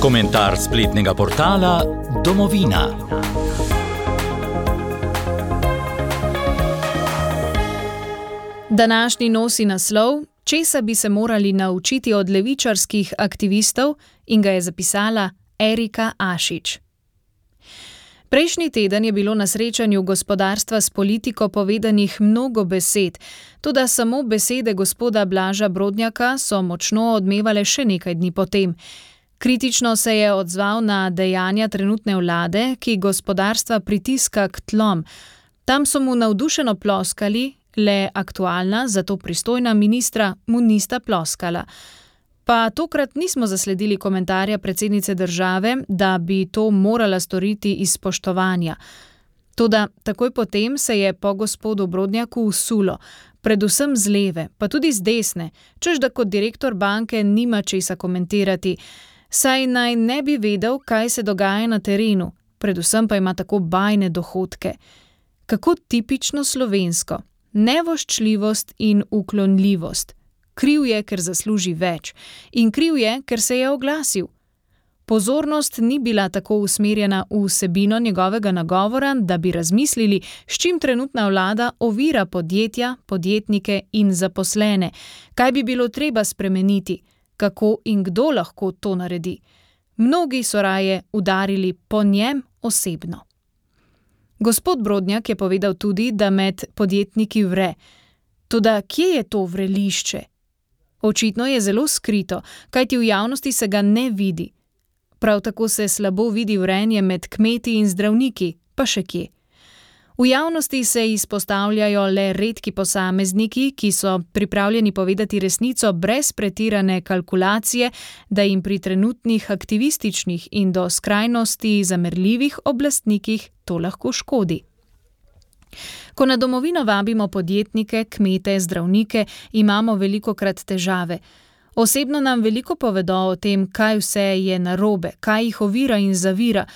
Komentar spletnega portala Domovina. Današnji nosi naslov: Česa bi se morali naučiti od levičarskih aktivistov, in ga je zapisala Erika Ašič. Prejšnji teden je bilo na srečanju gospodarstva s politiko povedanih mnogo besed, toda samo besede gospoda Blaža Brodnjaka so močno odmevale še nekaj dni potem. Kritično se je odzval na dejanja trenutne vlade, ki gospodarstva pritiska k tlom. Tam so mu navdušeno ploskali, le aktualna, zato pristojna ministra mu nista ploskala. Pa tokrat nismo zasledili komentarja predsednice države, da bi to morala storiti iz spoštovanja. Toda takoj potem se je po gospodu Brodnjaku usulo, predvsem z leve, pa tudi z desne, češ da kot direktor banke nima česa komentirati, saj naj ne bi vedel, kaj se dogaja na terenu, predvsem pa ima tako bajne dohodke. Kako tipično slovensko, nevoščljivost in uklonljivost. Kriv je, ker zasluži več, in kriv je, ker se je oglasil. Pozornost ni bila tako usmerjena v vsebino njegovega nagovora, da bi razmislili, s čim trenutna vlada ovira podjetja, podjetnike in zaposlene, kaj bi bilo treba spremeniti, kako in kdo lahko to naredi. Mnogi so raje udarili po njem osebno. Gospod Brodnjak je povedal tudi, da med podjetniki vre. Toda kje je to vrelišče? Očitno je zelo skrito, kajti v javnosti se ga ne vidi. Prav tako se slabo vidi vrenje med kmeti in zdravniki, pa še kje. V javnosti se izpostavljajo le redki posamezniki, ki so pripravljeni povedati resnico brez pretirane kalkulacije, da jim pri trenutnih aktivističnih in do skrajnosti zamerljivih oblastnikih to lahko škodi. Ko na Domovino vabimo podjetnike, kmete, zdravnike, imamo velikokrat težave. Osebno nam veliko povedo o tem, kaj vse je narobe, kaj jih ovira in zavira,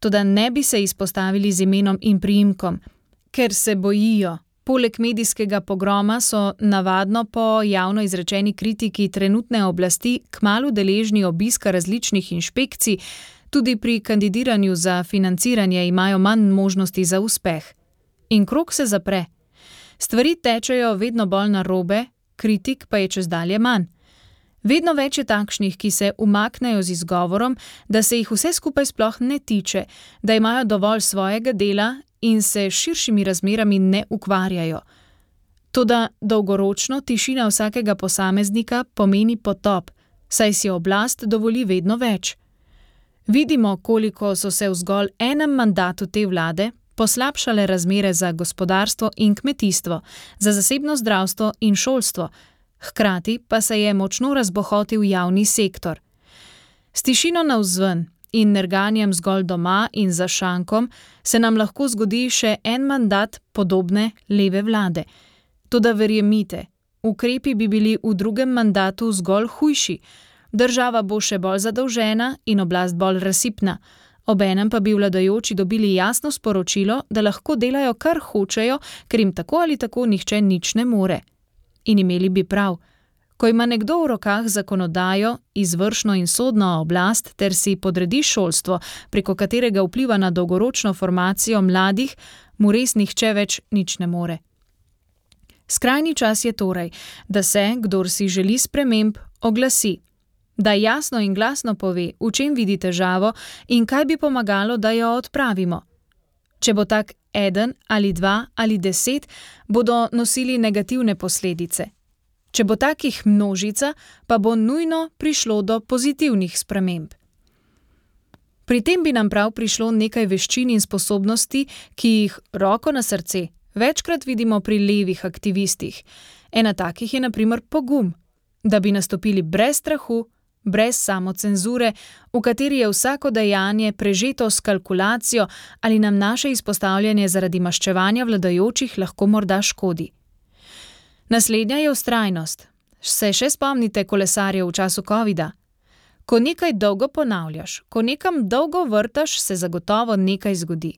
toda ne bi se izpostavili z imenom in priimkom, ker se bojijo. Poleg medijskega pogroma so navadno po javno izrečeni kritiki trenutne oblasti kmalu deležni obiska različnih inšpekcij, tudi pri kandidiranju za financiranje imajo manj možnosti za uspeh. In krog se zapre. Stvari tečejo vedno bolj narobe, kritik pa je čezdalje manj. Vedno več je takšnih, ki se umaknejo z izgovorom, da se jih vse skupaj sploh ne tiče, da imajo dovolj svojega dela in se s širšimi razmerami ne ukvarjajo. Toda dolgoročno tišina vsakega posameznika pomeni potop, saj si oblast dovoli vedno več. Vidimo, koliko so se v zgolj enem mandatu te vlade poslabšale razmere za gospodarstvo in kmetijstvo, za zasebno zdravstvo in šolstvo, hkrati pa se je močno razbohotil javni sektor. S tišino navzven in nerganjem zgolj doma in za šankom se nam lahko zgodi še en mandat podobne leve vlade. Toda verjemite, ukrepi bi bili v drugem mandatu zgolj hujši, država bo še bolj zadolžena in oblast bolj razsipna. Obenem pa bi vladajoči dobili jasno sporočilo, da lahko delajo kar hočejo, ker jim tako ali tako nihče nič ne more. In imeli bi prav. Ko ima nekdo v rokah zakonodajo, izvršno in sodno oblast ter si podredi šolstvo, preko katerega vpliva na dolgoročno formacijo mladih, mu res nihče več nič ne more. Skrajni čas je torej, da se, kdor si želi sprememb, oglasi. Da jasno in glasno pove, v čem vidi težavo in kaj bi pomagalo, da jo odpravimo. Če bo tak eden ali dva ali 10, bodo nosili negativne posledice. Če bo takih množica, pa bo nujno prišlo do pozitivnih sprememb. Pri tem bi nam prav prišlo nekaj veščin in sposobnosti, ki jih, roko na srce, večkrat vidimo pri levih aktivistih. Ena takih je na primer pogum, da bi nastopili brez strahu, brez samocenzure, v kateri je vsako dejanje prežeto s kalkulacijo ali nam naše izpostavljanje zaradi maščevanja vladajočih lahko morda škodi. Naslednja je vztrajnost. Se še spomnite kolesarjev v času covida? Ko nekaj dolgo ponavljaš, ko nekam dolgo vrtaš, se zagotovo nekaj zgodi.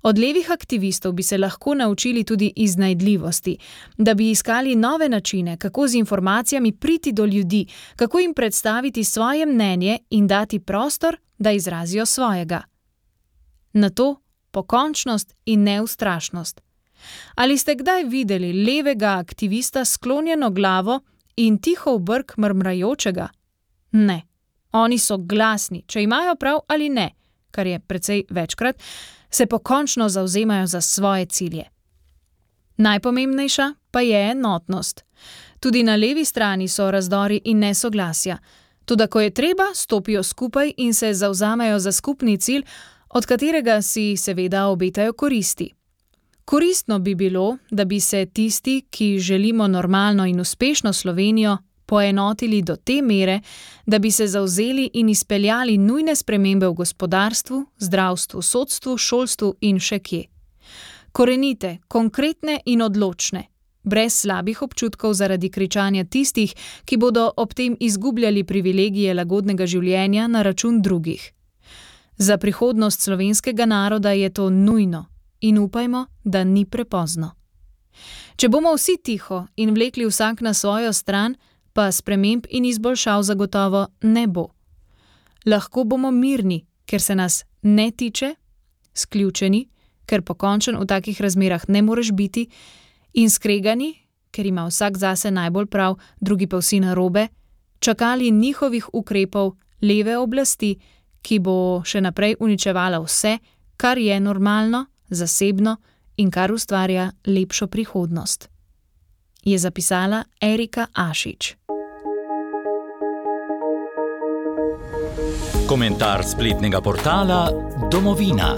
Od levih aktivistov bi se lahko naučili tudi iznajdljivosti, da bi iskali nove načine, kako z informacijami priti do ljudi, kako jim predstaviti svoje mnenje in dati prostor, da izrazijo svojega. Nato pokončnost in neustrašnost. Ali ste kdaj videli levega aktivista s sklonjeno glavo in tiho v brk mrmrajočega? Ne. Oni so glasni, če imajo prav ali ne, kar je precej večkrat, se pokončno zavzemajo za svoje cilje. Najpomembnejša pa je enotnost. Tudi na levi strani so razdori in nesoglasja. Toda ko je treba, stopijo skupaj in se zavzamejo za skupni cilj, od katerega si seveda obetajo koristi. Koristno bi bilo, da bi se tisti, ki želimo normalno in uspešno Slovenijo, poenotili do te mere, da bi se zavzeli in izpeljali nujne spremembe v gospodarstvu, zdravstvu, sodstvu, šolstvu in še kje. Korenite, konkretne in odločne, brez slabih občutkov zaradi kričanja tistih, ki bodo ob tem izgubljali privilegije lagodnega življenja na račun drugih. Za prihodnost slovenskega naroda je to nujno in upajmo, da ni prepozno. Če bomo vsi tiho in vlekli vsak na svojo stran, pa sprememb in izboljšav zagotovo ne bo. Lahko bomo mirni, ker se nas ne tiče, sključeni, ker pokončen v takih razmerah ne moreš biti, in skregani, ker ima vsak zase najbolj prav, drugi pa vsi narobe, čakali njihovih ukrepov leve oblasti, ki bo še naprej uničevala vse, kar je normalno, zasebno in kar ustvarja lepšo prihodnost. Je zapisala Erika Ašič. Komentar spletnega portala Domovina.